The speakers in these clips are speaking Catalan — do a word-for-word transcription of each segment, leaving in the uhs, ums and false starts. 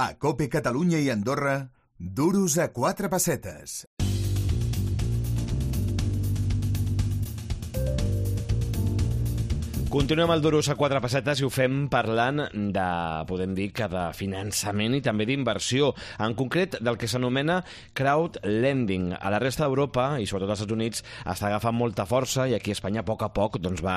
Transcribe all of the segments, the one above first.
A COPE Catalunya i Andorra, duros a quatre pessetes. Continuem el Duros a quatre pessetes i ho fem parlant de, podem dir, que de finançament i també d'inversió, en concret del que s'anomena crowdlending. A la resta d'Europa, i sobretot als Estats Units, està agafant molta força i aquí a Espanya a poc a poc doncs, va,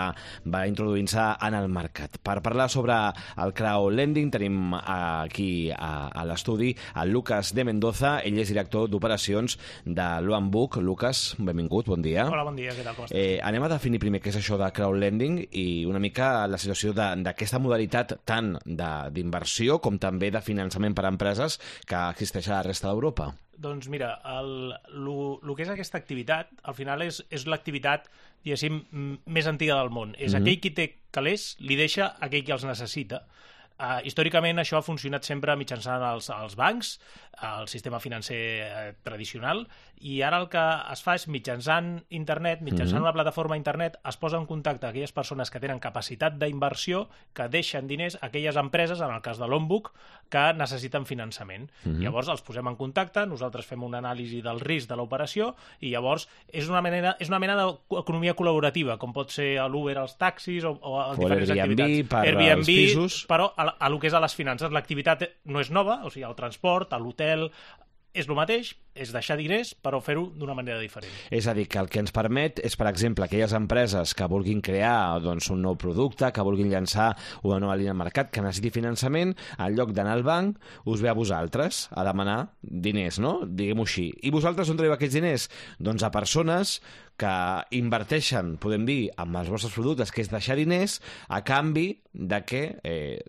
va introduint-se en el mercat. Per parlar sobre el crowdlending tenim aquí a, a l'estudi el Lucas de Mendoza, ell és director d'operacions de l'Onebook. Lucas, benvingut, bon dia. Hola, bon dia, què tal, com estàs? Eh, anem a definir primer què és això de crowdlending i una mica la situació d'aquesta modalitat tant d'inversió com també de finançament per a empreses que existeix a la resta d'Europa. Doncs mira, el, el, el que és aquesta activitat, al final és, és l'activitat, diguéssim, més antiga del món. És mm-hmm. aquell qui té calés, li deixa aquell qui els necessita. Uh, històricament això ha funcionat sempre mitjançant els, els bancs, el sistema financer eh, tradicional, i ara el que es fa és mitjançant internet, mitjançant mm-hmm. una plataforma internet, es posa en contacte aquelles persones que tenen capacitat d'inversió, que deixen diners a aquelles empreses, en el cas de l'Onebook, que necessiten finançament. Mm-hmm. Llavors els posem en contacte, nosaltres fem una anàlisi del risc de l'operació i llavors és una mena, és una mena d'economia col·laborativa, com pot ser l'Uber als taxis o, o a diferents Airbnb, activitats. Per Airbnb, als pisos. Però a, a lo que és a les finances, l'activitat no és nova, o sigui, el transport, l'hotel, és el mateix, és deixar diners, però fer-ho d'una manera diferent. És a dir, que el que ens permet és, per exemple, aquelles empreses que vulguin crear doncs, un nou producte, que vulguin llançar una nova línia de mercat, que necessiti finançament, en lloc d'anar al banc, us ve a vosaltres a demanar diners, no? Diguem-ho així. I vosaltres on traieu aquests diners? Doncs a persones que inverteixen, podem dir, amb els vostres productes, que és deixar diners, a canvi de que eh,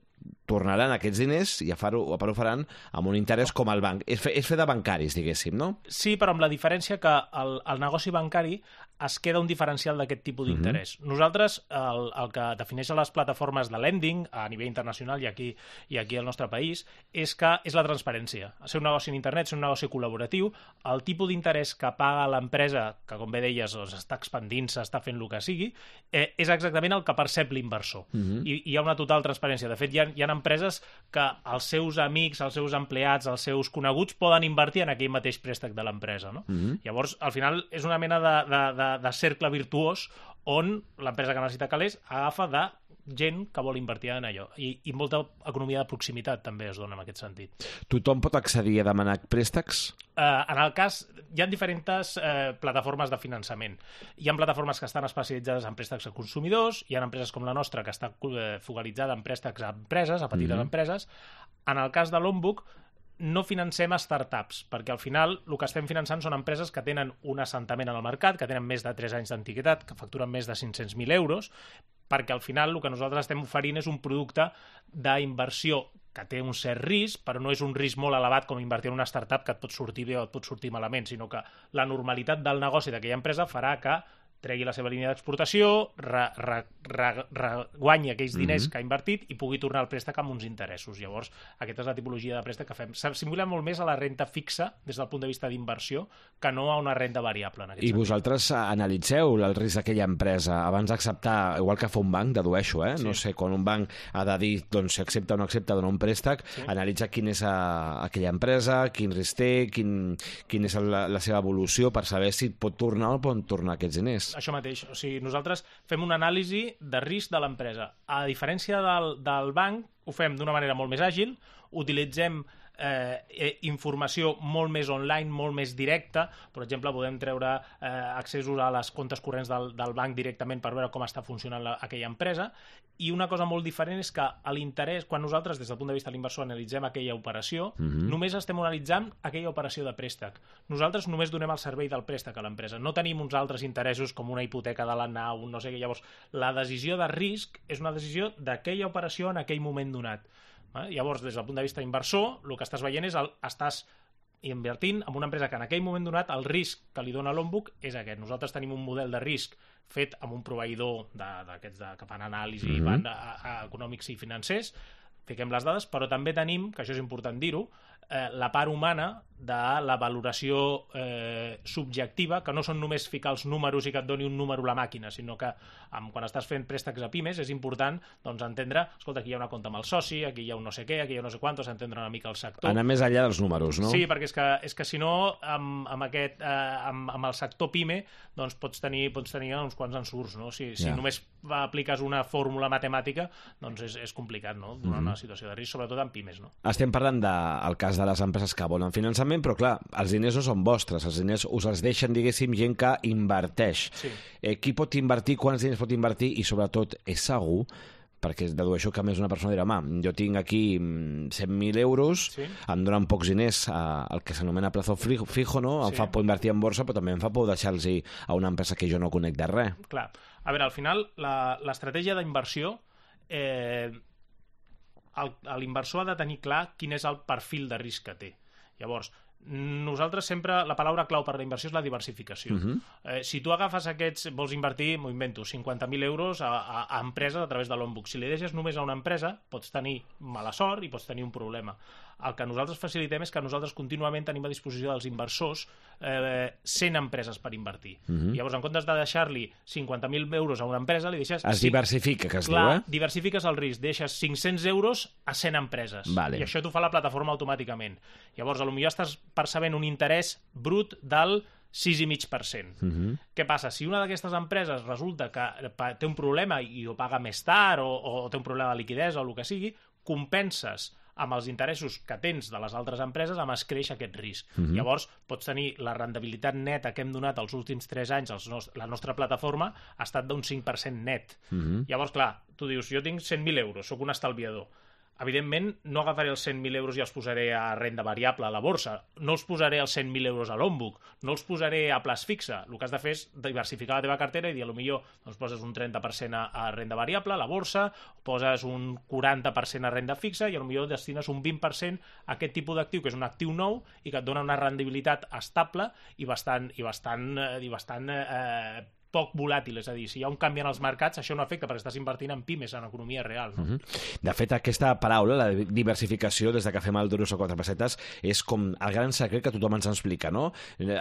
tornaran aquests diners i a fer-ho ho faran amb un interès com el banc. És fer, és fer de bancaris, diguéssim, no? Sí, però amb la diferència que el, el negoci bancari es queda un diferencial d'aquest tipus d'interès. Mm-hmm. Nosaltres, el, el que defineix les plataformes de lending a nivell internacional i aquí, i aquí al nostre país és que és la transparència. Ser un negoci en internet, ser un negoci col·laboratiu, el tipus d'interès que paga l'empresa, que com bé deies doncs, està expandint-se, està fent el que sigui, eh, és exactament el que percep l'inversor. Mm-hmm. I, I hi ha una total transparència. De fet, hi ha, hi ha empreses que els seus amics, els seus empleats, els seus coneguts poden invertir en aquell mateix préstec de l'empresa. No? Mm-hmm. Llavors, al final, és una mena de, de, de, de cercle virtuós on l'empresa que necessita calés agafa de gent que vol invertir en allò. I, i molta economia de proximitat també es dona en aquest sentit. Tothom pot accedir a demanar préstecs? Uh, en el cas, hi ha diferents uh, plataformes de finançament. Hi ha plataformes que estan especialitzades en préstecs a consumidors, hi ha empreses com la nostra que està uh, focalitzada en préstecs a empreses, a petites mm-hmm. empreses. En el cas de l'Onebook, no financem startups, perquè al final el que estem finançant són empreses que tenen un assentament en el mercat, que tenen més de tres anys d'antiguitat, que facturen més de cinc-cents mil euros, perquè al final el que nosaltres estem oferint és un producte d'inversió que té un cert risc, però no és un risc molt elevat com invertir en una startup que et pot sortir bé o et pot sortir malament, sinó que la normalitat del negoci d'aquella empresa farà que tregui la seva línia d'exportació, re, re, re, re, guanyi aquells diners mm-hmm. que ha invertit i pugui tornar el préstec amb uns interessos. Llavors, aquesta és la tipologia de préstec que fem. S'assimila molt més a la renta fixa des del punt de vista d'inversió que no a una renta variable. En aquest I sentit. Vosaltres analitzeu el risc d'aquella empresa abans d'acceptar, igual que fa un banc, dedueixo, eh? Sí. No sé, quan un banc ha de dir doncs, si accepta o no accepta donar un préstec, sí. analitza quina és a, aquella empresa, quin risc té, quin, quin és la, la seva evolució per saber si pot tornar o pot tornar aquests diners. Això mateix, o sigui, nosaltres fem una anàlisi de risc de l'empresa. A diferència del, del banc, ho fem d'una manera molt més àgil, utilitzem eh, informació molt més online, molt més directa. Per exemple, podem treure eh, accessos a les comptes corrents del, del banc directament per veure com està funcionant la, aquella empresa. I una cosa molt diferent és que a l'interès, quan nosaltres, des del punt de vista de l'inversor, analitzem aquella operació, mm-hmm. només estem analitzant aquella operació de préstec. Nosaltres només donem el servei del préstec a l'empresa. No tenim uns altres interessos com una hipoteca de la nau, no sé què. Llavors, la decisió de risc és una decisió d'aquella operació en aquell moment donat. Llavors, des del punt de vista inversor, el que estàs veient és el, estàs invertint en una empresa que en aquell moment donat el risc que li dona l'Onebook és aquest. Nosaltres tenim un model de risc fet amb un proveïdor d'aquests que fan anàlisi mm-hmm. van a, a econòmics i financers, fiquem les dades, però també tenim, que això és important dir-ho, eh, la part humana de la valoració eh, subjectiva, que no són només ficar els números i que et doni un número a la màquina, sinó que amb, quan estàs fent préstecs a pimes és important doncs, entendre, escolta, aquí hi ha una compta amb el soci, aquí hi ha un no sé què, aquí hi ha no sé quantos, entendre una mica el sector. Anar més enllà dels números, no? Sí, perquè és que, és que si no, amb, amb, aquest, eh, amb, amb el sector PIME, doncs pots tenir, pots tenir uns quants ensurts, no? Si, si Ja. només apliques una fórmula matemàtica, doncs és, és complicat, no? Donar Mhm. una situació de risc, sobretot en pimes, no? Estem parlant del cas de les empreses que volen finançament, però clar, els diners no són vostres, els diners us els deixen, diguéssim, gent que inverteix. Sí. Eh, qui pot invertir, quants diners pot invertir i sobretot és segur, perquè dedueixo que a més una persona dirà, home, jo tinc aquí mm, cent mil euros, Sí. em donen pocs diners a, el que s'anomena plazo fijo, fijo, no? Em Sí. fa por invertir en borsa, però també em fa por deixar-los a una empresa que jo no conec de res. Clar. A veure, al final, la- l'estratègia d'inversió, eh, el- l'inversor ha de tenir clar quin és el perfil de risc que té. Llavors, nosaltres sempre, la paraula clau per la inversió és la diversificació. Mhm. eh, si tu agafes aquests, vols invertir, m'ho invento, cinquanta mil euros a, a, a empreses a través de l'on-book. Si li deixes només a una empresa, pots tenir mala sort i pots tenir un problema. El que nosaltres facilitem és que nosaltres contínuament tenim a disposició dels inversors eh, cent empreses per invertir. Mhm. Llavors, en comptes de deixar-li cinquanta mil euros a una empresa, li deixes... Es cinc- diversifica, que es Clar, diu, eh? diversifiques el risc, deixes cinc-cents euros a cent empreses. Vale. I això t'ho fa la plataforma automàticament. Llavors, potser estàs percebent un interès brut del sis coma cinc per cent. Mhm. Què passa? Si una d'aquestes empreses resulta que pa- té un problema i ho paga més tard o, o té un problema de liquiditat o el que sigui, compenses amb els interessos que tens de les altres empreses amb escreix aquest risc. Mhm. Llavors, pots tenir la rendibilitat neta que hem donat els últims tres anys, els nos la nostra plataforma, ha estat d'un cinc per cent net. Mhm. Llavors, clar, tu dius, jo tinc cent mil euros, sóc un estalviador. Evidentment, no agafaré els cent mil euros i els posaré a renda variable a la borsa. No els posaré els cent mil euros a l'on-book. No els posaré a plaç fixe. El que has de fer és diversificar la teva cartera i dir, potser doncs, poses un trenta per cent a, a renda variable, a la borsa, poses un quaranta per cent a renda fixa i potser destines un vint per cent a aquest tipus d'actiu, que és un actiu nou i que et dona una rendibilitat estable i bastant, i bastant, eh, i bastant eh, poc volàtil, és a dir, si hi ha un canvi en els mercats, això no afecta perquè estàs invertint en pimes, en economia real. No? Mhm. De fet, aquesta paraula, la diversificació, des de que fem el Duros o quatre pessetes, és com el gran secret que tothom ens explica, no? Eh,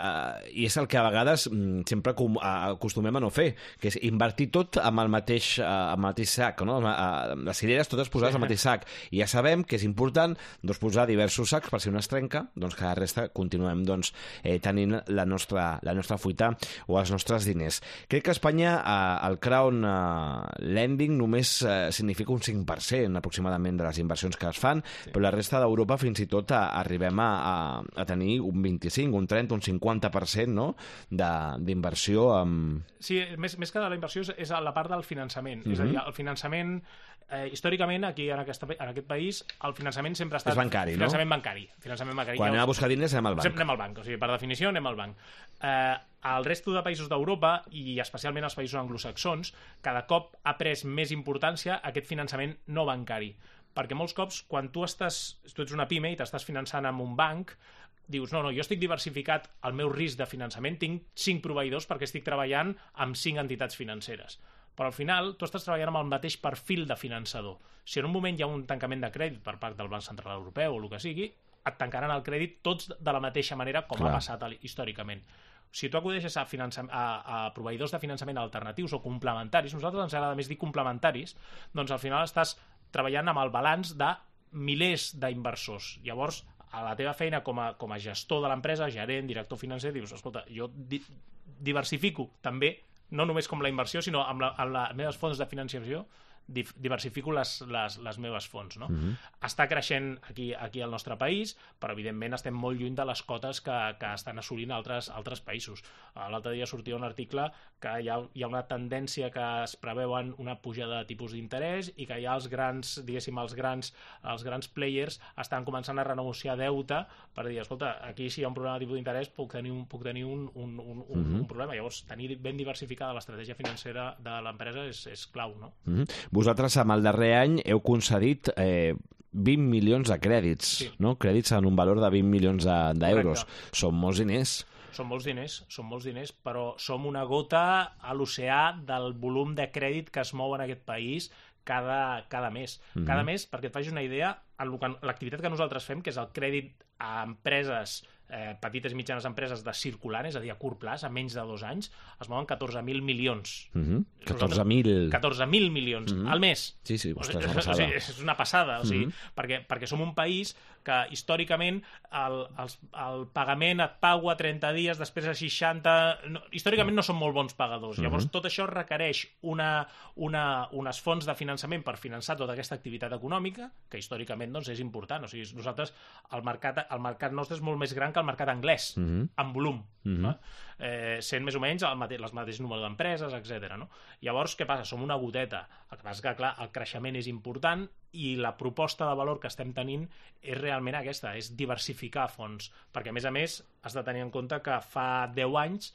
I és el que a vegades mm, sempre com, a, acostumem a no fer, que és invertir tot amb el mateix, eh, amb el mateix sac, no? Eh, Les cireres totes posades al mateix sac. I ja sabem que és important doncs, posar diversos sacs per si un es trenca, doncs que la resta continuem doncs, eh, tenint la nostra, la nostra fuita o els nostres diners. Crec que a Espanya eh, el crown eh, lending només eh, significa un cinc per cent aproximadament de les inversions que es fan, sí. Però la resta d'Europa fins i tot a, arribem a, a, a tenir un vint-i-cinc, un trenta, un cinquanta per cent no? d'inversió amb... Sí, més, més que de la inversió és, és la part del finançament. Mhm. És a dir, el finançament, eh, històricament, aquí en, aquesta, en aquest país, el finançament sempre ha estat... És bancari, no? finançament bancari. Finançament bancari. Quan Ja anem a us- buscar diners anem al banc. Sempre anem al banc, o sigui, per definició anem al banc. Eh, al resto de països d'Europa, i especialment als països anglosaxons, cada cop ha pres més importància aquest finançament no bancari. Perquè molts cops, quan tu estàs, tu ets una pime i t'estàs finançant amb un banc, dius, no, no, jo estic diversificat el meu risc de finançament, tinc cinc proveïdors perquè estic treballant amb cinc entitats financeres. Però al final tu estàs treballant amb el mateix perfil de finançador. Si en un moment hi ha un tancament de crèdit per part del Banc Central Europeu o el que sigui, et tancaran el crèdit tots de la mateixa manera com Clar. ha passat històricament. Si tu acudeixes a, finança... a, a proveïdors de finançament alternatius o complementaris, nosaltres ens agrada més dir complementaris, doncs al final estàs treballant amb el balanç de milers d'inversors. Llavors, a la teva feina com a, com a gestor de l'empresa, gerent, director financer, dius, escolta, jo di diversifico també, no només com la inversió, sinó amb, la, amb les meves fonts de financiació, diversifico les, les, les meves fonts. No? Mhm. Està creixent aquí, aquí al nostre país, però evidentment estem molt lluny de les cotes que, que estan assolint altres, altres països. L'altre dia sortia un article que hi ha, hi ha una tendència que es preveuen una pujada de tipus d'interès i que ja els grans, diguéssim, els grans, els grans players estan començant a renegociar deute per dir, escolta, aquí si hi ha un problema de tipus d'interès puc tenir un, puc tenir un, un, un, un, Mhm. un problema. Llavors, tenir ben diversificada l'estratègia financera de l'empresa és, és clau, no? Mhm. Vosaltres, amb el darrer any, heu concedit eh, vint milions de crèdits, Sí. no? Crèdits en un valor de vint milions d'euros. Correcte. Són molts diners. Són molts diners, són molts diners, però som una gota a l'oceà del volum de crèdit que es mou en aquest país cada, cada mes. Mhm. Cada mes, perquè et facis una idea, en lo que- l'activitat que nosaltres fem, que és el crèdit a empreses eh, petites i mitjanes empreses de circulant, és a dir, a curt plaç, a menys de dos anys, es mouen catorze mil milions. Mm-hmm. catorze mil... catorze mil milions mm-hmm. al mes. Sí, sí, ostres, o sigui, una passada. O sigui, és una passada, o sigui, Mm-hmm. perquè, perquè som un país que històricament el, el, el pagament et pago a trenta dies, després a seixanta... No, històricament no són molt bons pagadors. Mm-hmm. Llavors, tot això requereix una, una, unes fons de finançament per finançar tota aquesta activitat econòmica, que històricament doncs, és important. O sigui, nosaltres, el mercat, el mercat nostre és molt més gran que el mercat anglès, mm-hmm. en volum. Mm-hmm. Eh, sent més o menys el mate les mateixes número d'empreses, etcètera. No? Llavors, què passa? Som una goteta. El que passa és que, clar, el creixement és important i la proposta de valor que estem tenint és realment aquesta, és diversificar fons, perquè a més a més has de tenir en compte que fa deu anys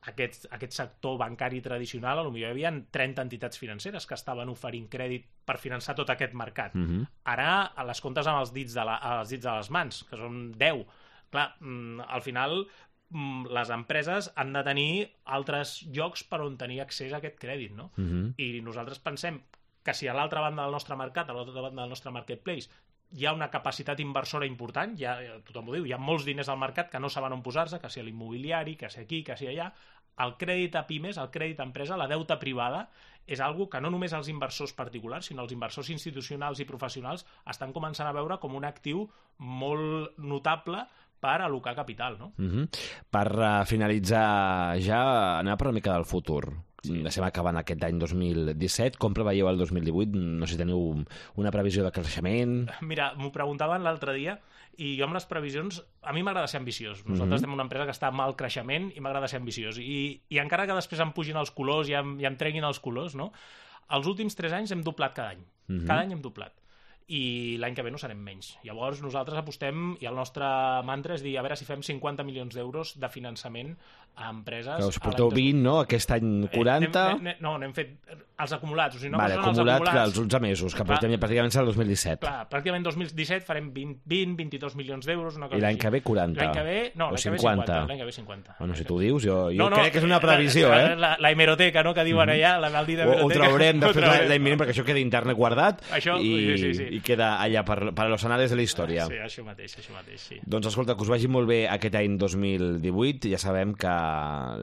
aquest, aquest sector bancari tradicional, potser hi havia trenta entitats financeres que estaven oferint crèdit per finançar tot aquest mercat. Mm-hmm. Ara les comptes amb els dits de, la, els dits de les mans, que són deu. Clar, al final les empreses han de tenir altres llocs per on tenir accés a aquest crèdit, no? Mm-hmm. I nosaltres pensem que si a l'altra banda del nostre mercat, a l'altra banda del nostre marketplace, hi ha una capacitat inversora important, ja, tothom ho diu, hi ha molts diners al mercat que no saben on posar-se, que si a l'immobiliari, que si aquí, que si allà, el crèdit a pimes, el crèdit a empresa, la deuta privada, és algo que no només els inversors particulars, sinó els inversors institucionals i professionals estan començant a veure com un actiu molt notable per al·locar capital, no? Mm-hmm. Per uh, finalitzar ja, anar per una mica del futur. Sí. Estem acabant aquest any dos mil disset. Com preveieu el dos mil divuit? No sé si teniu una previsió de creixement. Mira, m'ho preguntaven l'altre dia i jo amb les previsions, a mi m'agrada ser ambiciós. Nosaltres mm-hmm. estem en una empresa que està en alt creixement i m'agrada ser ambiciós. I, i encara que després em pugin els colors i em, i em treguin els colors, no? Els últims tres anys hem doblat cada any. Mm-hmm. Cada any hem doblat. I l'any que ve no serem menys. Llavors nosaltres apostem, i el nostre mantra és dir, a veure si fem cinquanta milions d'euros de finançament a empreses... Que us porteu vint, no? Aquest any quaranta... Eh, anem, anem, no, n'hem fet els acumulats. O sigui, no vale, acumulat, clar, els onze mesos, que portem ja pràcticament el dos mil disset. Clar, pràcticament dos mil disset farem vint, vint vint-i-dos milions d'euros, una cosa I l'any que ve quaranta. L'any que ve, no, l'any que ve cinquanta. L'any que ve cinquanta. Bueno, si tu ho dius, jo, jo no, no, crec que és una previsió, la, eh? La, la hemeroteca, no?, que diuen allà, la maldita hemeroteca. Ho, ho traurem després l'any vinent, perquè això queda internet guardat això, i, sí, sí, sí. i queda allà per, per los anales de la història. Sí, això mateix, això mateix, sí. Doncs escolta, que us vagi molt bé aquest any dos mil divuit. Ja sabem que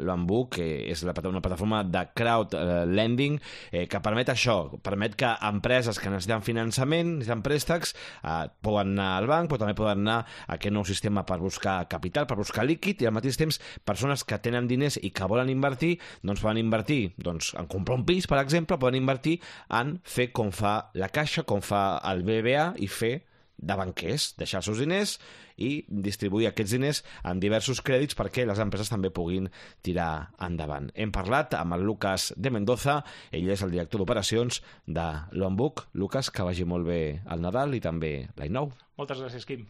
l'Onbook és la, una plataforma de crowd lending eh, que permet això, permet que empreses que necessiten finançament, necessiten préstecs, eh, poden anar al banc, però també poden anar a aquest nou sistema per buscar capital, per buscar líquid, i al mateix temps persones que tenen diners i que volen invertir, doncs poden invertir doncs, en comprar un pis, per exemple, poden invertir en fer com fa la Caixa, com fa el B B V A, i fer de banquers, deixar els seus diners i distribuir aquests diners en diversos crèdits perquè les empreses també puguin tirar endavant. Hem parlat amb el Lucas de Mendoza, ell és el director d'operacions de l'Onbook. Lucas, que vagi molt bé el Nadal i també l'any nou. Moltes gràcies, Quim.